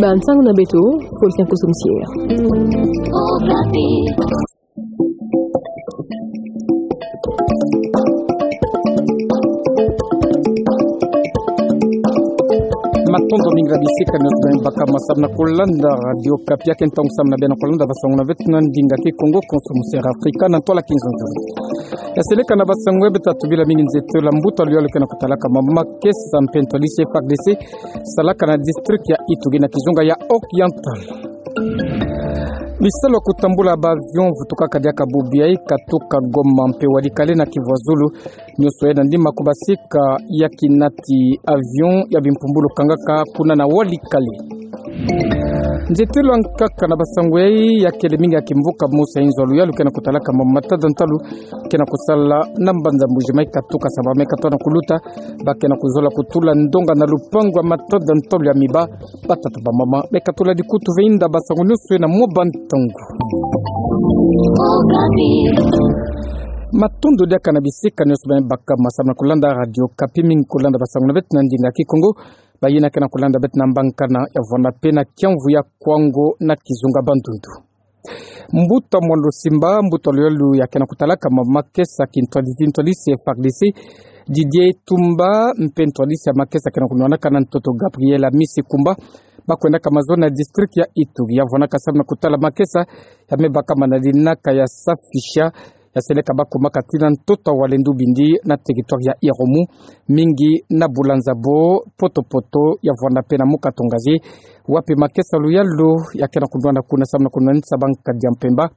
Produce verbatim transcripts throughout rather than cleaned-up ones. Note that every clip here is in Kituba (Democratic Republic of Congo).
Ba nsangu na beto, Fulgence Kosso Moussier. Matondo mingi na bisika nyonso beno baka masamna kolanda Radio Okapi, ya ke ntangu samna beno kolanda basangu na beto na ndinga Kikongo. Kosso Moussier Afrika na ntwala kinzonzolo. Ya seleka na basangu ya beto, tubila mingi nzietelo ya mbuta luyalu ke na kutalaka mama makesa mpe ntwadisi ya F A R D C salaka na district ya Ituri na kizunga ya Oriental. Bisalu ya kutambula ba avion vutukaka diaka bubu yayi katuka Goma mpe Walikale na Kivu ya Zulu, nyonso yayi nandi makubasika ya kinati avion ya bimpumbulu kangaka kuna na Walikale. Nzietelo ya nkaka na basangu yayi ya kele mingi ya kimvuka mosi ya inzo ya luyalu ke na kutalaka mama matada ntalu ke na kusala na mbanza Mbuji-Mayi katuka Sambala-Mène, katona kuluta ba ke na kuzola kutula ndonga na lupangu ya matada ntalu ya miba, batata, bamama, me katula dikutu ve inda basangu nyonso yayi na mwa ba ntangu. Matondo diaka na bisika nyonso beno baka masamna kolanda Radio Okapi, mingi kolanda basangu na beto na ndinga Kikongo. Bayina ke na kolanda beto na mbankana ya vwanda mpe na kiamvu ya Kikongo na kizunga Bandundu. Mbuta Mwando Simba, mbuta luyalu ya ke na kutalaka mama makesa kintwadisi, ntwadisi ya F A R D C, Didier Tumba, mpe ntwadisi ya makesa ke na kunwanaka na ntoto Gabriel Amisi Kumba, bakwendaka mazono na district ya Ituri, ya vwanaka samu na kutala makesa ya me baka mana dinaka ya safisha, ya seleka bakumaka tii na ntoto ya Walendu bindi na territoire ya Irumu, mingi na Bulanza bo Poto-Poto, ya vwanda mpe na Mukato-Ngazi, wapi makesa luyalu ya ke na kunwana kuna samu na kunwanisa bankadi ya mpemba.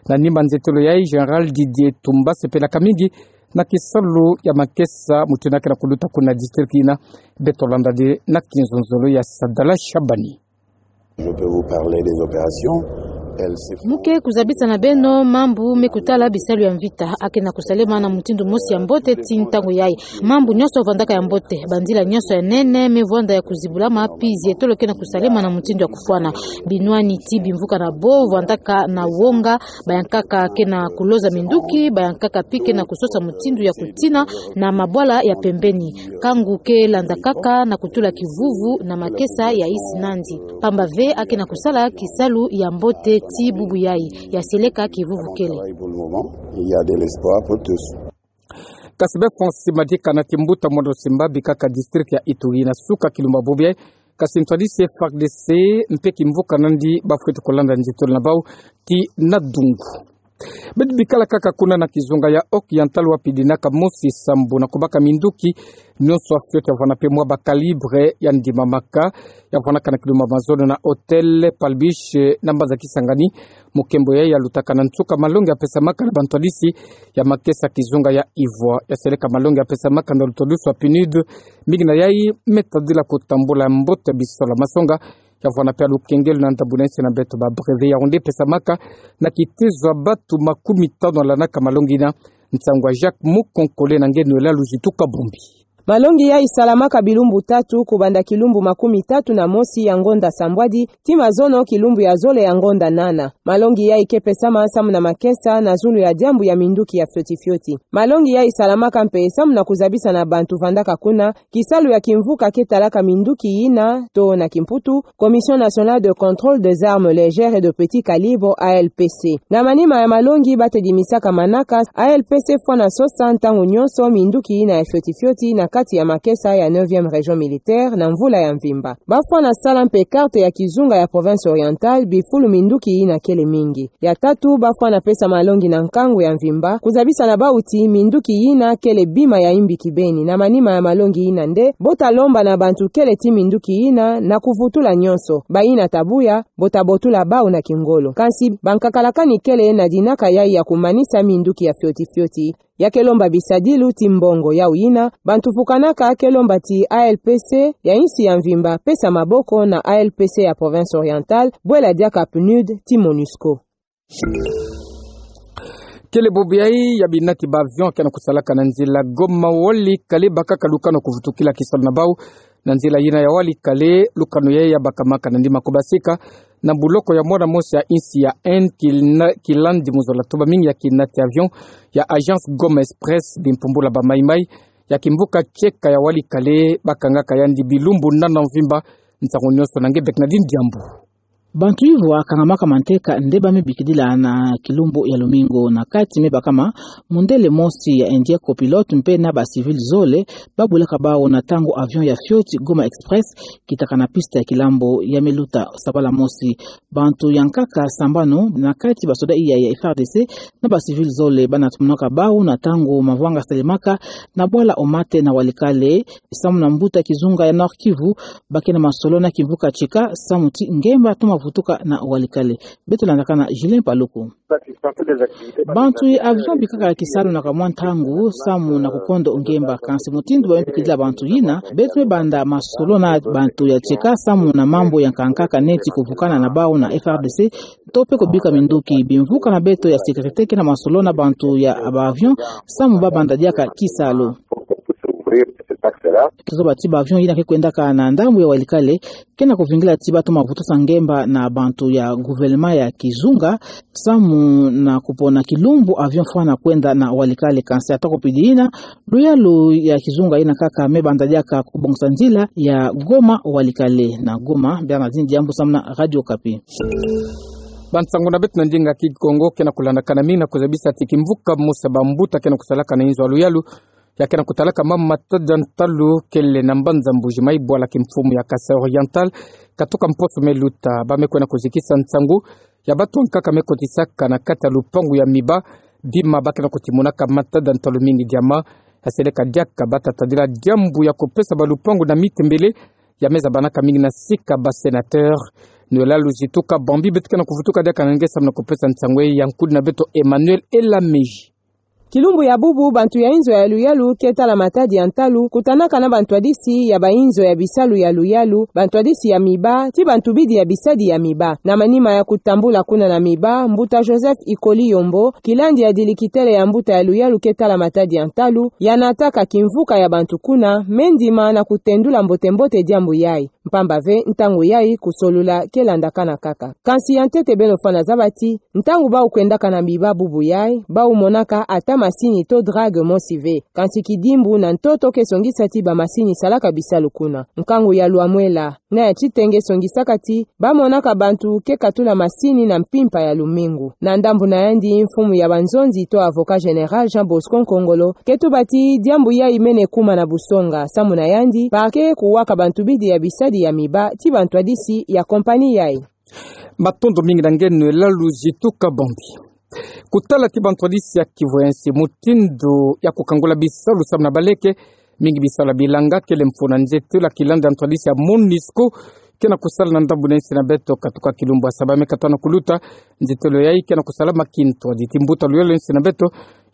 Na nima nzietelo yayi, Général Didier Tumba asepelaka mingi na kisalu ya makesa mutindu ke na kuluta kuna district yina. Beto landa de na kinzonzolo ya Sadala Shabani. Je peux vous parler des opérations. Elles se font. Mu ke kuzabisa na beno mambu me kutala bisalu ya mvita ya ke na kusalema na mutindu mosi ya mbote tii ntangu yayi. Mambu nyonso vwandaka ya mbote, banzila nyonso ya nene me vwanda ya kuzibulama, pi nzietolo ke na kusalema na mutindu ya kufwana. Binwani tii bimvuka na bo vwandaka na wonga, bayankaka ke na kuloza minduki, bayankaka pi ke na kusosa mutindu ya kutina na mabwala ya pembeni. Kangu ke landakaka na kutula kivuvu na makesa ya insi nandi. Pamba ve ya ke na kusala kisalu ya mbote tii bubu yayi, ya seleka kivuvu kele. Pour le moment, il y a de l'espoir pour tous. Kasi be Francis Madika na kimbuta Mwando Simba abikaka district ya Ituri na suka kilumbu bubu yayi, kasi ntwadisi ya F A R D C mpe kimvuka nandi bafweti kulanda nzietolo na bau tii na dungu. Beto bikala kaka kuna na kizunga ya Oriental, wapi dinaka mosi sambu na kubaka minduki nyonso ya fioti ya vwanda mpe mwa ba calibre ya ndimamaka, ya vwanaka na kilumbu mazono na Hôtel Palbiche na mbanza Kisangani. Mukembo yayi ya lutaka na nsuka malongi ya pesamaka na bantwadisi ya makesa kizunga ya Ivoire, ya seleka malongi ya pesamaka na lutodusu ya PNUD. Mingi na yayi me tadila kutambula mbote bisalu ya masonga, ya vwanda mpe ya lukengelo na ndambu na insi na beto, ba brevet, ya onde pesamaka na kitezo ya batu makumi tanu ya landaka malongi yina. Nsangu ya Jacques Mukonkole na nge Noëlla Luzitu Kabumbi. Malongi yayi salamaka bilumbu tatu, kubanda kilumbu makumi tatu na mosi ya ngonda sambwadi tii mazono kilumbu ya zole ya ngonda nana. Malongi yayi ke pesama samu na makesa na zulu ya diambu ya minduki ya fioti fioti. Malongi yayi salamaka mpe samu na kuzabisa na bantu vandaka kuna kisalu ya kimvuka ke talaka minduki yina, to na kimputu, Commission Nationale de Contrôle des Armes Légères et de Petit Calibre, A L P C. Na manima ya malongi, batedimisaka manaka A L P C fwana sosa ntangu nyonso minduki yina ya fioti fioti na kati ya makesa ya neuvième Région Militaire na mvula ya mvimba. Bafwana sala mpe carte ya kizunga ya Province Orientale bifulu minduki yina kele mingi. Ya tatu, bafwana pesa malongi na nkangu ya mvimba, kuzabisa na bau ti minduki yina kele bima ya imbi kibeni. Na manima ya malongi yina nde, bo ta lomba na bantu kele ti minduki yina na kuvutula nyonso. Bayina ta buya, bo ta botula bau na kingolo. Kansi bankakalakani kele na dinaka yayi ya kumanisa minduki ya fioti fioti. Ya ke lomba bisadilu ti mbongo. Yau yina, bantu vukanaka ke lomba ti A L P C ya insi ya mvimba pesa maboko na A L P C ya Province Orientale, bwela diaka PNUD ti MONUSCO. Kele bubu yayi ya binati ba avion ke na kusalaka na nzila Goma Walikale, bakaka lukanu kuvutukila kisalu na bau na nzila yina ya Walikale. Lukanu yayi ya bakamaka na ndima kubasika na buloko ya mwana mosi ya insi ya Inde, kil-, kilandi muzola toba mingi ya kinati avion ya Agence Goma Express, bimpumbula ba maimai ya kimvuka tieka ya Walikale, bakangaka yandi bilumbu nana mvimba Nsangu nionso na nge Bernadine Diambu. Bantu ivwa kangamaka manteka nde ba mebikidila na kilumbu ya lumingu na kati mebakama mundele mosi ya India copilote mpe na ba civil zole, babulaka bawu na ntangu avion ya fioti Goma Express kitaka na piste ya kilambo ya meluta sabala mosi. Bantu ya nkaka sambanu na kati basoda iya ya F R D C na ba civil zole banatomonaka bawu na ntangu mavwanga salemaka na bwala Omate na Walikale, samu na mbuta kizunga ya Nord-Kivu, bake na masolo na kimvuka Tcheka, samu ti ngemba toma vutuka na Walikale. Beto landakana Julien Paluku. Bantu ya avion bikaka kisalu na kamwa ntangu, samu na kukondo ngemba, kansi mutindu ba mebikidila bantu yina, beto mebanda masolo na bantu ya Tcheka, samu na mambu ya nkankaka neti kuvukana na bawu na F R D C, to mpe kubika minduki. Bimvuka na beto ya sécurité ke na masolo na bantu ya ba avion, samu babanda diaka kisalu. Kizoba ti ba avion yina ke kwendaka na ndambu ya Walikale, ke na kuvingila ti batoma vutusa ngemba na bantu ya gouvernement ya kizunga, samu na kupona kilumbu avion fwana kwenda na Walikale, kansi ata kupidi yina, luyalu ya kizunga yina kaka mebanda diaka kubongisa nzila ya Goma Walikale. Na Goma, Bernadine Diambu samu na Radio Okapi. Bansangu na beto na ndinga Kikongo ke na kulandakana mingi na kuzabisa ti kimvuka mosi ya bambuta ke na kusalaka na inzo ya luyalu, ya ke na kutalaka mama matadi ya ntalu kele na mbanza Mbuji-Mayi, bwala kimfumu ya Kasaï Oriental, katuka mposo meluta, ba me kwenda kuzikisa nsangu ya bantu ya nkaka me kotisaka na kati ya lupangu ya miba bima ba ke na kutimonaka matadi ya ntalu mingi diama, ya seleka diaka bata tadila diambu ya kupesa balupangu na miti mbele ya me zabanaka mingi na sika ba sénateur. Noëlla Luzitu Kabambi beto ke na kuvutuka diaka na nge samu na kupesa nsangu ya nkudi na beto Emmanuel Elamiji. Kilumbu ya bubu, bantu ya inzo ya luyalu ke tala matadi ya ntalu kutanaka na bantwadisi ya bainzo ya bisalu ya luyalu, bantwadisi ya miba, ti bantu bidi ya bisadi ya miba. Na manima ya kutambula kuna na miba, mbuta Joseph Ikoli Yombo, kilandi ya dilikitele ya mbuta ya luyalu ke tala matadi ya ntalu, ya nataka kimvuka ya bantu kuna, me ndima na kutendula mbote-mbote diambu yayi. Mpamba ve, ntangu yayi kusolula ke landakana kaka. Kansi ya ntete beno fwana zaba ti, ntangu bawu kwendaka na miba bubu yayi, bawu monaka ata masini to drague mosi ve. Kansi kidimbu na ntoto ke songisa ti bamasini salaka bisalu kuna. Nkangu ya Lwamwela na ya Titenge songisaka ti ba monaka bantu ke katula masini na mpimpa ya lumingu. Na ndambu na yandi, mfumu ya banzonzi to avocat général Jean Bosco Nkongolo ke tuba ti diambu yayi mene kuma na busonga, samu na yandi parquet kuwaka bantu bidi ya bisadi ya miba ti bantwadisi ya compagnie yayi. Matondo mingi na nge Noëlla Luzitu Kabambi. Kutala ti bantwadisi ya kivu ya nsi, mutindu ya kukangula bisalu samu na baleke, mingi bisalu ya bilanga, kele mfunu na nzietolo ya kilandi ya ntwadisi ya MONUSCO ke na kusala na ndambu na nsi na beto, katuka kilumbu ya saba me katoa na kuluta. Nzietolo yayi ke na kusalama kintwadi ti mbuta luyalu ya nsi na beto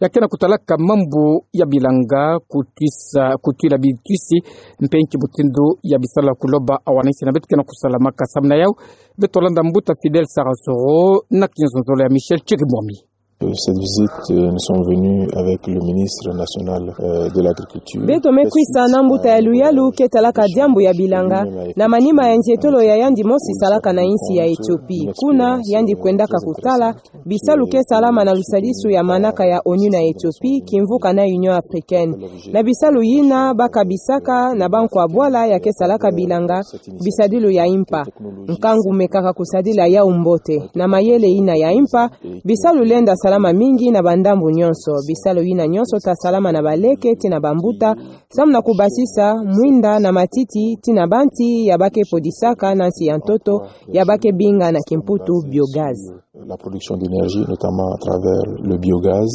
ya ke na kutalaka mambu ya bilanga, kutwisa, kutwila bitwisi, mpe nki mutindu ya bisalu ya kuloba awa na nsi na beto ke na kusalamaka. Samu na yawu, beto landa mbuta Fidèle Sarasoro na kinzonzolo ya Michel Chirimwami. Cette visite, euh, nous sommes venus avec le ministre national, euh, de l'Agriculture. Beto me kwisa na mbuta ya luyalu ke talaka diambu ya bilanga, na manima ya nzietolo ya yandi mosi salaka na nsi ya Ethiopie. Kuna, yandi kwendaka kutala bisalu ke salama na lusadisu ya manaka ya ONU na Ethiopie, kimvuka na Union Africaine. Na bisalu yina ba kabisaka na bankwa bwala ya ke salaka bilanga, bisadilu ya impa. Nkangu mekaka kusadila yawu mbote. Na mayele yina ya impa, bisalu lenda salama mingi na bandambu nionso. Bisalu yina nionso ta salama na baleke ti na bambuta, samu na kubasisa mwinda na matiti ti na banti ya ba ke podisaka na nsi ya ntoto, ya ba ke binga na kimputu biogaz. La production d'énergie, notamment à travers le biogaz.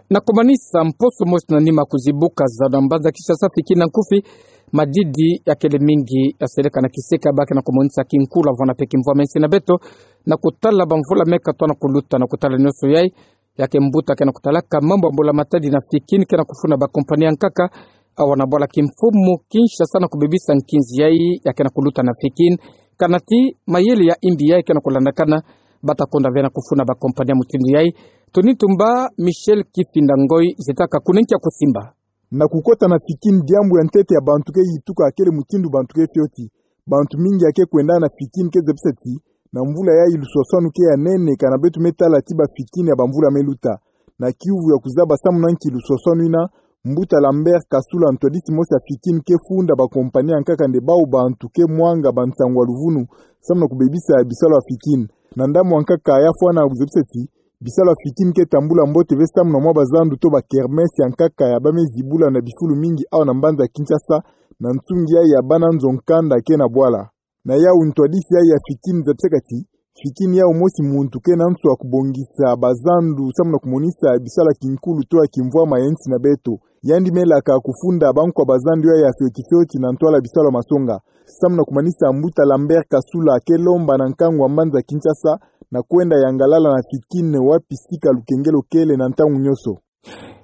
Na kumanisa, mposo mosi na nima kuzibuka zana mbanza Kinshasa, fiki na nkufi, madidi ya kele mingi ya seleka na kisika, ba ke na kumonisa kinkulu vana mpe kimvwama ya nsi na beto, na kutala bamvula me katoa na kuluta. Na kutala nionso yayi, ya ke mbuta ke na kutalaka mambu ya mbula-matadi na fiki ni ke na kufuna ba compagnie ya nkaka, awa na bwala kimfumu Kinshasa, na kubebisa nkinzi yayi ya ke na kuluta na fiki ni. Kana ti mayele ya imbi yayi ke na kulandakana, bata konda ve na kufuna ba compagnie ya mutindu yayi. Tony Tumba, Michel Kifinda Ngoi, zetaka kuna nki ya kusimba. Na kukota na fiki ni, diambu ya ntete ya bantu ke yituka kele mutindu bantu ke fioti. Bantu mingi ya ke kwenda na fiki ni ke zebisa ti, na mvula yayi luswaswanu ke ya nene, kana beto me tala ti ba fiki ni ya bamvula me luta. Na kiuvu ya kuzaba samu na nki luswaswanu ina, Mbuta Lambert Kasula, ntwadisi mosi ya Fikin, ke funda ba compagnie ya nkaka nde bau bantu ke mwanga ba nsangu ya luvunu, samu na kubebisa bisalu ya Fikin. Na ndambu ya nkaka, ya fwana kuzebisa ti bisalu ya Fikin ke tambula mbote ve samu na mwa bazandu to ba kermesse ya nkaka ya bamezi bula na bifulu mingi awa na mbanza Kinshasa, na nsungi yayi ya bana nzo nkanda ke na bwala. Na yau ntwadisi yayi ya Fikin zabisaka ti Fikin yau mosi muntu ke na nso ya kubongisa bazandu samu na kumonisa bisalu ya kinkulu to ya kimvwama ya nsi na beto. Yandi melaka kufunda bankwa bazandu yayi ya fioti fioti na ntwala bisalu ya masonga. Samu na kumanisa, Mbuta Lambert Kasula ke lomba na nkangu ya mbanza Kinshasa na kwenda yangalala na Fikin wapi sika lukengelo kele na ntangu nyonso.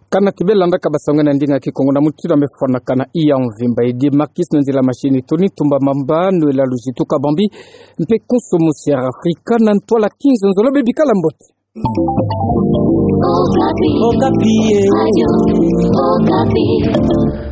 Kana kibe landaka basango na ndinga Kikongo na mutindu mefwanakana, iya mvimba edi Makis na nzila machine, Tony Tumba Mamba, Noëlla Luzitu Kabambi, mpe konso mosi ya Afrika na ntwala Kinzonzolo, bebikala mbote. Okapi. Okapi, eh. Radio Okapi.